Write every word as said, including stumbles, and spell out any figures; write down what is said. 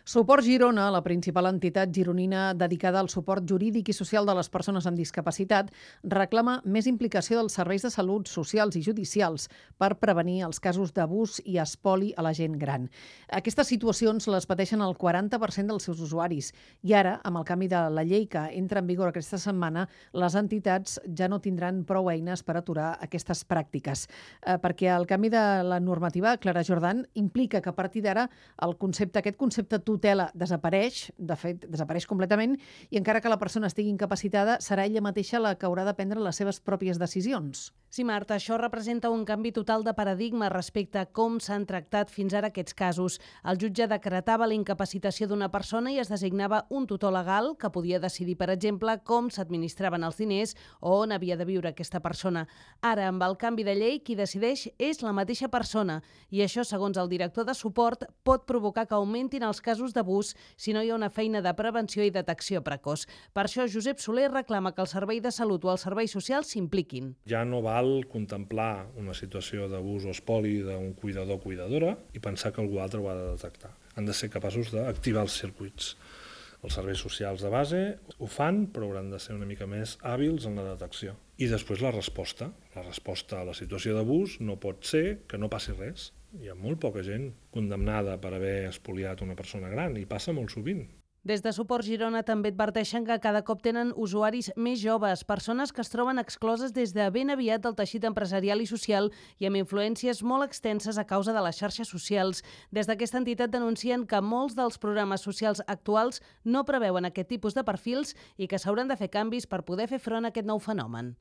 Suport Girona, la principal entitat gironina dedicada al suport jurídic i social de les persones amb discapacitat, reclama més implicació dels serveis de salut socials i judicials per prevenir els casos d'abús i espoli a la gent gran. Aquestes situacions les pateixen el quaranta per cent dels seus usuaris i ara, amb el canvi de la llei que entra en vigor aquesta setmana, les entitats ja no tindran prou eines per aturar aquestes pràctiques. Eh, perquè el canvi de la normativa, Clara Jordan, implica que a partir d'ara el concepte, aquest concepte tutela desapareix, de fet, desapareix completament, i encara que la persona estigui incapacitada, serà ella mateixa la que haurà de prendre les seves pròpies decisions. Sí, Marta, això representa un canvi total de paradigma respecte a com s'han tractat fins ara aquests casos. El jutge decretava la incapacitació d'una persona i es designava un tutor legal que podia decidir, per exemple, com s'administraven els diners o on havia de viure aquesta persona. Ara, amb el canvi de llei, qui decideix és la mateixa persona i això, segons el director de suport, pot provocar que augmentin els casos d'abús si no hi ha una feina de prevenció i detecció precoç. Per això, Josep Soler reclama que el Servei de Salut o els serveis socials s'impliquin. Ja no val contemplar una situació d'abús o espoli d'un cuidador o cuidadora i pensar que algú altre ho ha de detectar. Han de ser capaços d'activar els circuits. Els serveis socials de base ho fan, però hauran de ser una mica més hàbils en la detecció. I després la resposta. La resposta a la situació d'abús no pot ser que no passi res. Hi ha molt poca gent condemnada per haver espoliat una persona gran i passa molt sovint. Des de Suport Girona també adverteixen que cada cop tenen usuaris més joves, persones que es troben excloses des de ben aviat del teixit empresarial i social i amb influències molt extenses a causa de les xarxes socials. Des d'aquesta entitat denuncien que molts dels programes socials actuals no preveuen aquest tipus de perfils i que s'hauran de fer canvis per poder fer front a aquest nou fenomen.